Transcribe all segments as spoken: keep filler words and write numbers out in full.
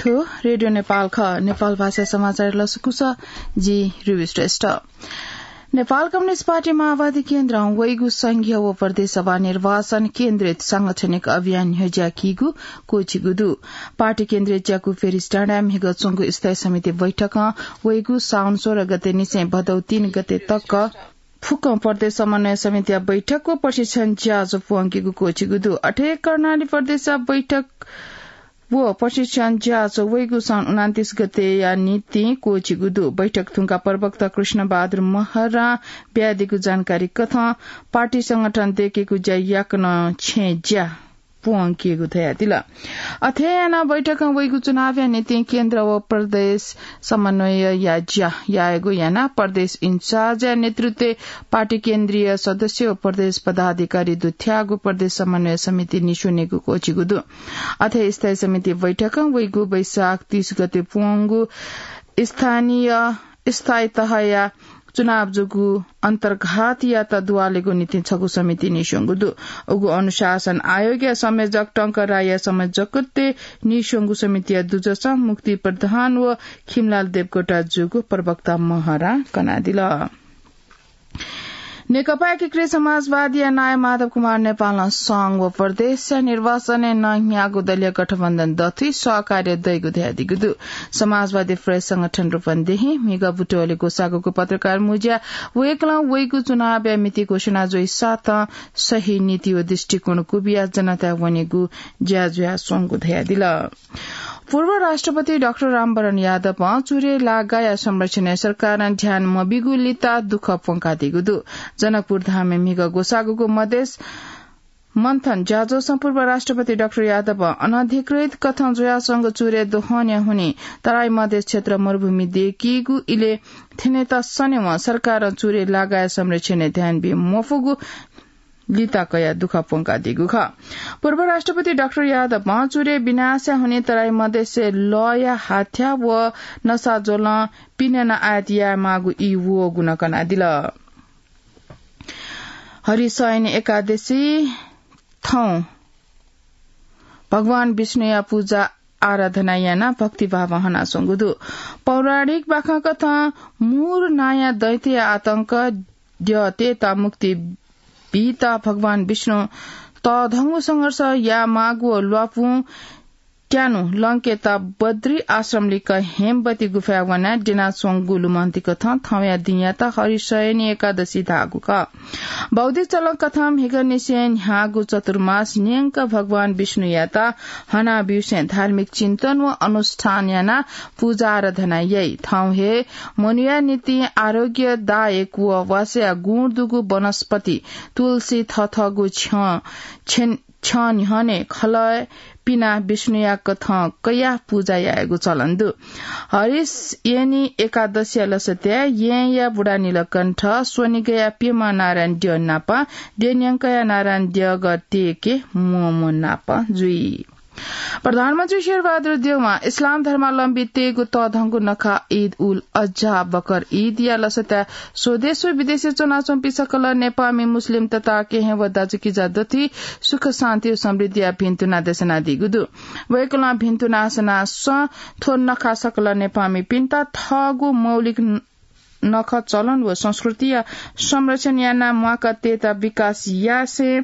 थ्व रेडियो नेपाल खः। नेपाल भाषा समाचार लसकुस, जि रुबी श्रेष्ठ। नेपाल कम्युनिस्ट पार्टी माओवादी केन्द्रं वइगु संघीय व प्रदेश सभा निर्वाचन केन्द्रित सांगठनिक अभियान न्ह्यज्याकीगु क्वःछिगु दु। पार्टी केन्द्रित ज्याकू फेरिस डाँडाय् म्हिगः च्वंगु स्थायी समिति बैठकं वइगु साउन सोह्र गते निसें भदौ तीन गते तक फुक्कं प्रदेश समन्वय समितिया बैठक व प्रशिक्षण ज्याझ्वः प्वंकेगु क्वःछिगु दु। अथे कर्णाली प्रदेशया बैठक व प्रशिक्षण ज्याझ्वः वइगु साउन उनान्तीस गतेया निंतिं क्वःछिगु दु। बैठक धुंकाः प्रवक्ता कृष्णबहादुर महरां बियादीगु जानकारी कथं पार्टी संगठन दयेकेगु ज्या याकनं छेँ ज्या प्वंकेगु धयादिल। अथे यानाः बैठकं वइगु चुनावया निंतिं केन्द्र व प्रदेश समन्वयया ज्या यायेगु यानाः प्रदेश इन्चार्जया नेतृत्वय् पार्टी केन्द्रीय सदस्य व प्रदेश पदाधिकारी दुथ्याःगु प्रदेश समन्वय समिति निस्वनेगु क्वःछिगु दु। अथे स्थायी समिति बैठकं वइगु वैशाख तीस गते प्वंगु स्थानीय स्थायी तहया चुनाव जूगु अन्तर्घातयात दुवालेगु निंतिं छगू समिति निस्वंगु दु। उगु अनुशासन आयोगया संयोजक टंक राईया संयोजकत्वय् निस्वंगु समितिया दुजसं मुक्ति प्रधान व खिमलाल देवकोटा जूगु प्रवक्ता महरां कनादिल। नेकपा एकीकृत समाजवादीया नायः माधव कुमार नेपालं संघ व प्रदेशया निर्वाचनय् नहियागु दलीय गठबन्धन दथुइ सहकार्य दइगु धयादीगु दु। समाजवादी प्रेस संगठन रूपन्देही म्हिगः बुटवलय् ग्वसाःगु पत्रकार मुँज्याय् वय्कलं वइगु चुनावया मिति घोषणा जुइसाथं सही नीति व दृष्टिकोण क्वबिया जनताय् वनेगु ज्या जुयाच्वंगु धयादिल। पूर्व राष्ट्रपति डाक्टर रामवरण यादवं चुरे लागाया संरक्षणय् सरकारं ध्यान मबीगु लिता दुःख प्वंकादीगु दु। जनकपुर धामय् म्हिगः ग्वसाःगु मधेश मन्थन ज्याझ्वलय् पूर्व राष्ट्रपति डाक्टर यादवं अनधिकृत कथं जुयाच्वंगु चुरे दोहनया हुनिं तराई मधेश क्षेत्र मरुभूमि दयेकीगु इलय् थ्यनेत सनेवं सरकारं चुरे लागाया संरक्षणय् ध्यान बी मफुगु लिता कयाः दुःख प्वंकादीगु खः। पूर्व राष्ट्रपति डाक्टर यादवं चुरे विनाशया हुनिं तराई मधेशय् लःया हाथ्या व नसाज्वलं पिने नं आयात यायेमाःगु ई वःगु नं कनादिल। हरिशयनी एकादशी थौं भगवान विष्णुया पूजा आराधना यानाः भक्तिभावं हनाच्वंगु दु। पौराणिक बाखंकथं मुर नांया दैत्यया आतंक द्यःतय्त मुक्ति बीत भगवान विष्णुं तःधंगु संघर्ष यायेमाःगु व ल्वापुं त्यानु लंकेत बद्री आश्रम लिक्क हेमवती गुफाय् वनाः द्यनाच्वंगु लुमन्तिकथं थौंया दिंयात हरिशयनी एकादशी धाःगु खः। बौद्धिक चलनकथं म्हिगःनिसें न्ह्याःगु चतुर्मास न्यंक भगवान विष्णुयात हनाब्यूसें धार्मिक चिन्तन व अनुष्ठान यानाः पूजा आराधना याइ। थौं हे मनूया निंतिं आरोग्यदायक व वासया गुण दुगु वनस्पति तुलसी थथःगु छ्यं छेन छ्यं न्ह्यःने खलः पिनाः विष्णुया कथं कयाः पूजा यायेगु चलन दु। हरिशयनी एकादशीया लसताय् येँया बुढा नीलकण्ठ, स्वनिगःया प्यम्ह नारायण द्यः नाप, द्यः न्यंकया नारायण द्यःगः तयेके म्वःम्वः नाप जुइ। प्रधानमन्त्री शेरबहादुर देउवां इस्लाम धर्मावलम्बीतय्गु तःधंगु नखः ईद उल अजहा बकर ईदया लसताय् स्वदेश व विदेशय् च्वनाच्वंपिं सकल नेपाःमि मुस्लिम तताकेहेँ व दाजुकिजा दथुइ सुख शान्ति व समृद्धिया भिन्तुना देछानादीगु दु। वय्कलं भिन्तुना सनाः सँ थ्व नखः सकल नेपाःमिपिन्त थःगु मौलिक नखः चलन व संस्कृतिया संरक्षण यानाः म्वाका तयेत विकास यासें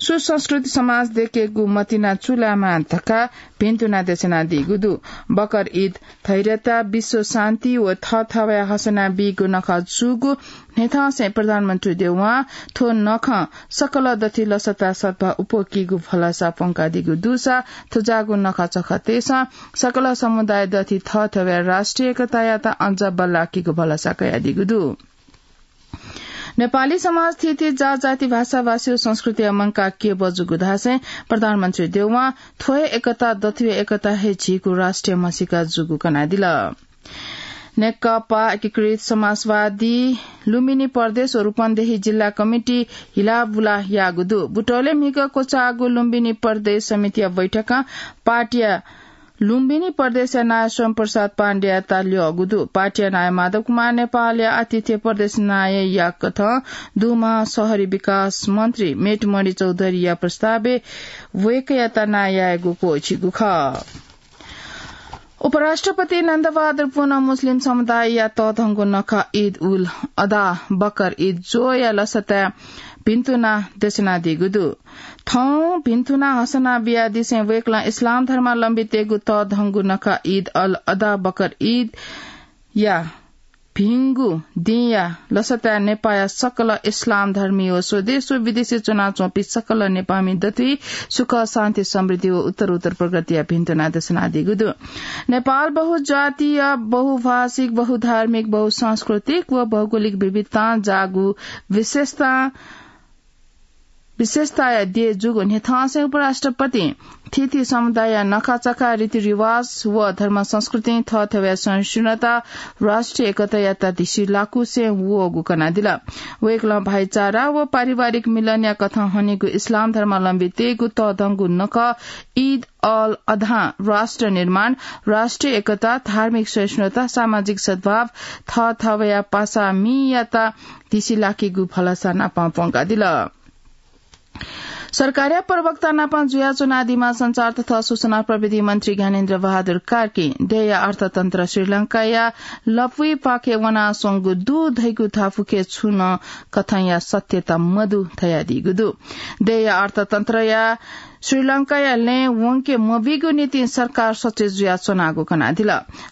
सुसंस्कृति समाज दयेकेगु मतिना चूलायेमाः धकाः भिन्तुना देछानादीगु दु। बकर ईद धैर्यता, विश्व शान्ति व थःथवय् हसना बीगु नखः जूगु न्ह्यथंसें प्रधानमन्त्री देउवां थ्व नखं सकल दथुइ लसता सद्भाव अप्वःकीगु भलसा प्वंकादीगु दुसा थज्याःगु नखःचखःतय्सं सकल समुदाय दथुइ थःथवय् राष्ट्रिय एकतायात अझ बल्लाकीगु भलसा कयादीगु दु। नेपाली समाज थीथी जातजाति भाषाभाषी व संस्कृतिया मंकाः क्यबः जूगु धासें प्रधानमन्त्री देउवां थ्व हे एकता दथुइ एकता हे झीगु राष्ट्रिय म्हसीका जूगु कनादिल। नेकपा एकीकृत समाजवादी लुम्बिनी प्रदेश व रूपन्देही जिल्ला कमिटी हिलाबुला याःगु दु। बुटवलय् म्हिगः क्वचाःगु लुम्बिनी प्रदेश समितिया बैठकं पार्टीया लुम्बिनी प्रदेशया नायः स्वयं प्रसाद पाण्डेयात ल्यःगु दु। पार्टीया नायः माधव कुमार नेपालया आतिथ्य प्रदेश नायःया कथं दुमां शहरी विकास मन्त्री मेटमणि चौधरीया प्रस्तावय् वय्कःयात नायः यायेगु क्वःछिगु खः। उपराष्ट्रपति नन्दबहादुर पुनं मुस्लिम समुदायया तःधंगु नखः ईद उल अधा बकर ईद ज्वःया लसताय् भिन्तुना देछानादीगु दु। थौं भिन्तुना हसना बियादिसें वय्कलं इस्लाम धर्मावलम्बीतय्गु तःधंगु नखः ईद अल अधा बकर ईदया भिंगु दिंया लसताय् नेपाःया सकल इस्लाम धर्मी व स्वदेश व विदेशय् च्वनाच्वंपिं सकल नेपाःमि दथुइ सुख, शान्ति, समृद्धि व उत्तरोत्तर प्रगतिया भिन्तुना देछानादीगु दु। नेपाल बहुजातीय, बहुभाषिक, बहुधार्मिक, बहुसांस्कृतिक व भौगोलिक विविधतां जाःगु विशेषता विशेषताया देय् जूगु न्ह्यथंसें उपराष्ट्रपतिं थीथी समुदायया नखाचखा, रीतिरिवाज व धर्म संस्कृतिं थःथवया सहिष्णुता, राष्ट्रिय एकतायात धिसिलाकुसें वःगु कनादिल। वय्कलं भाइचारा व पारिवारिक मिलनया कथं हनीगु इस्लाम धर्मावलम्बीतय्गु तःधंगु नखः ईद अल अधां राष्ट्र निर्माण, राष्ट्रिय एकता, धार्मिक सहिष्णुता, सामाजिक सद्भाव, थःथवया पासा मीयात धिसिलाकीगु भलसा नाप प्वंकादिल। सरकारया प्रवक्ता नाप जुयाच्वनादीम्ह सञ्चार तथा सूचना प्रविधि मन्त्री ज्ञानेन्द्र बहादुर कार्कीं देय्या अर्थतन्त्र श्रीलंकाया लँपुइपाखे वनाच्वंगु दु धइगु धापू खँय् छुं नं कथंया सत्यता मदु धयादीगु दु। देय्या अर्थतन्त्रया श्रीलंकाया लँय् वंके मबीगु निंतिं सरकार सचेत जुयाच्वनागु कनादिल।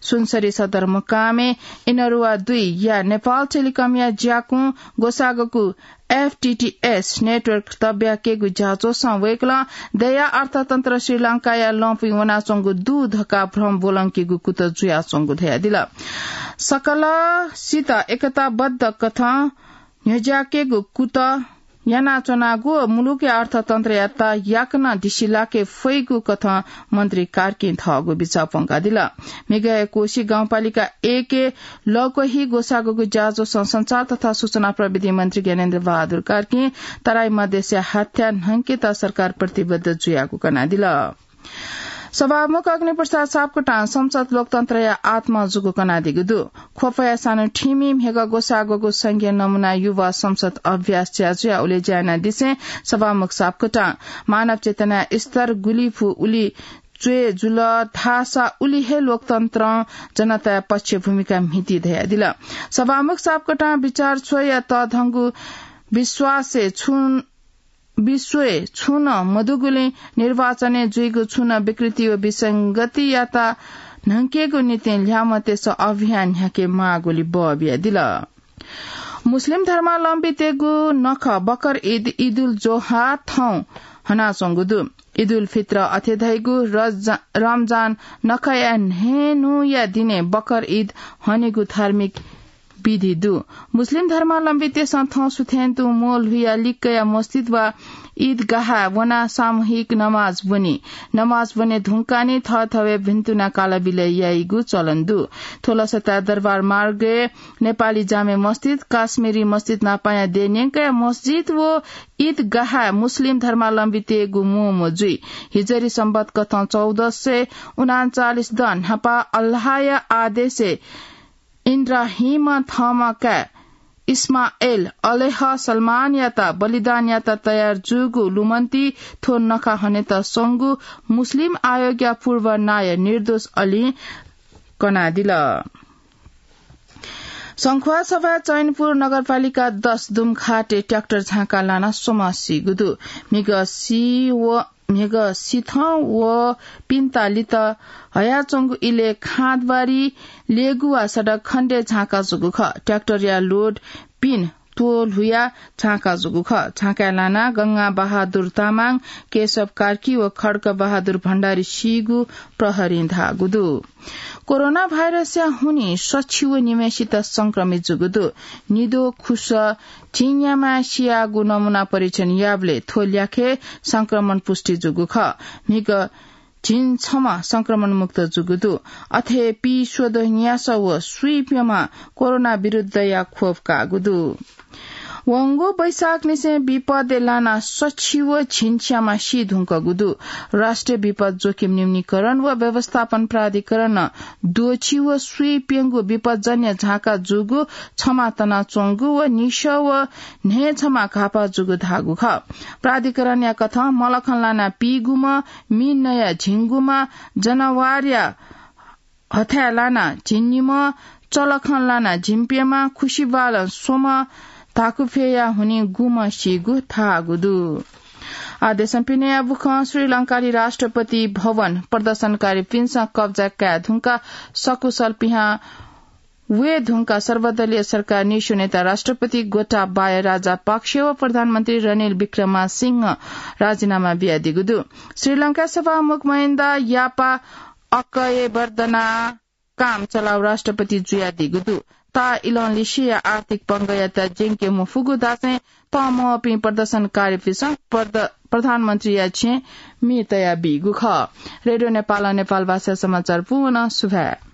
सुनसरी सदरमुकामय् इनरुवा दुईया नेपाल टेलिकमया ज्याकुं ग्वसाःगु एफटीटीएस नेटवर्क तब्याकेगु ज्याझ्वलय् वय्कलं देय्या अर्थतन्त्र श्रीलंकाया लँपुइ वनाच्वंगु दु धकाः भ्रम ब्वलंकेगु कुतः जुयाच्वंगु धयादिल। सकलसित एकताबद्ध कथं न्ह्यज्याकेगु कुतः यानाच्वनागु व मुलुकया अर्थतन्त्रयात याकनं धिसिलाके फइगु कथं मन्त्री कार्कीं थःगु बिचाः प्वंकादिल। म्हिगःया कोशी गाउँपालिका एकय् लँक्वहि ग्वसाःगु ज्याझ्वलय् सञ्चार तथा सूचना प्रविधि मन्त्री ज्ञानेन्द्र बहादुर कार्कीं तराई मधेसया हाथ्या न्हंकेत सरकार प्रतिबद्ध जुयागु कनादिल। सभामुख अग्निप्रसाद सापकोटां संसद लोकतन्त्रया आत्मा जूगु कनादीगु दु। ख्वपया सानु ठिमि म्हिगः ग्वसाःगु संघीय नमुना युवा संसद अभ्यास ज्याझ्वलय् उलेज्या यानादिसें सभामुख सापकोटां मानव चेतनाया स्तर गुलि फु उलि च्वय् जुल धाःसा उलि हे लोकतन्त्रं जनताया पक्ष भूमिका म्हिती धयादिल। सभामुख सापकोटां बिचार च्वय्या तःधंगु विश्वासय् छुं विश्वय् छुं नं मदुगुलिं निर्वाचनय् जुइगु छुं नं विकृति व विसंगतियात न्हंकेगु निंतिं ल्याय्म्हतय्सं अभियान न्ह्याके माःगुलि बः बियादिल। मुस्लिम धर्मावलम्बीतय्गु नखः बकर ईद, ईदुल जोहा थौं हनाच्वंगु दु। ईदुल फित्र अथे धइगु रज-, रमजान नखःया न्हय्न्हूया दिनय् बकर ईद हनेगु धार्मिक विधि दु। मुस्लिम धर्मावलम्बीतय्सं थौं सुथय् तुं म्वःल्हुया लिक्कया मस्जिद वा ईदगाहाय् वनाः सामूहिक नमाज ब्वनी। नमाज ब्वने धुंकाः नि थःथवय् भिन्तुना कालबिलय् याइगु चलन दु। थ्व लसताय् दरबार मार्गय् नेपाली जामे मस्जिद, काश्मीरी मस्जिद नापांया देय् न्यंकया मस्जिद व ईदगाहाय् मुस्लिम धर्मावलम्बीतय्गु म्वःम्वः जुइ। हिजरी संवत् कथं चौध सय उनान्चालिस द न्हापा अल्लाहया आदेशय् इन्द्राहिमं थःम्ह काय् इस्माएल अलैह सलामयात बलिदान यायेत तयार जूगु लुमन्ति थ्व नखः हनेत स्वंगु मुस्लिम आयोगया पूर्व नायः निर्दोष अलीं कनादिल। संख्वासभा चैनपुर नगरपालिका दस दुम्खाटे ट्र्याक्टर झाँका लानाः स्वम्ह सीगु दु। म्हिगः सी व म्हिगः सिथं व पिन्ता लित हयाच्वंगु इलय् खाँदबारी लेगुवा सडक खण्डय् झाँका जूगु खः। ट्र्याक्टरया लोड पिन त्वःल्हुयाः झाँका जूगु खः। झाँकाय् लानाः गंगा बहादुर तामाङ, केशव कार्की व खड्ग बहादुर भण्डारी सीगु प्रहरीं धाःगु दु। कोरोना भाइरसया हुनिं सछि व निम्हय्सित संक्रमित जूगु दु। निद्वः खुसः झिंन्याम्ह सियाःगु नमुना परीक्षण याःबलय् थ्व ल्याखय् संक्रमण पुष्टि जूगु खः। म्हिगः झिंछम्ह संक्रमण मुक्त जूगु दु। अथे हे पीस्वद्वः न्यासः व स्वीप्यम्ह कोरोना विरुद्धया खोप काःगु दु। वंगु वैशाखनिसें विपदय् लानाः सछि व झिंछ्याम्ह सी धुंकूगु दु। राष्ट्रिय विपद जोखिम न्यूनीकरण व व्यवस्थापन प्राधिकरणं द्वःछि व स्वीप्यंगु विपदजन्य झाँका जूगु, छम्ह तनाच्वंगु व निसः व न्हय्छम्ह घाःपाः जूगु धाःगु खः। प्राधिकरणया कथं मलखं लानाः पीगुम्ह, मि नयाः झिंगुम्ह, जनावरया हथाय् लाना झिंनिम्ह, चलखं लाना झिंप्यम्ह, खुसिबालं स्वम्ह धाकुफेया हुनिं गुम्ह सीगु धाःगु दु। आदेशं पिनेया बुखं श्रीलंकाली राष्ट्रपति भवन प्रदर्शनकारीपिन्सं कब्जा काये धुंका सकुशल पिहां वये धुंका सर्वदलीय सरकार न्हिस्वनेत राष्ट्रपति गोटाबाया राजापाक्ष व प्रधानमन्त्री रनिल विक्रमासिंह राजीनामा बियादीगु दु। श्रीलंका सभामुख महिन्दा यापा अक्कयेवर्दना काम चलाउ राष्ट्रपति जुयादीगु दु। ता इलंलिसिया आर्थिक पंगःयात ज्यंके मफुगु धासें तःमवःपिं प्रदर्शनकारीपिन्सं प्रद-, प्रधानमन्त्रीया छेँ म्ये तयाबीगु खः। रेडियो नेपालं नेपाल भाषा समाचार पूवं सुभाय्।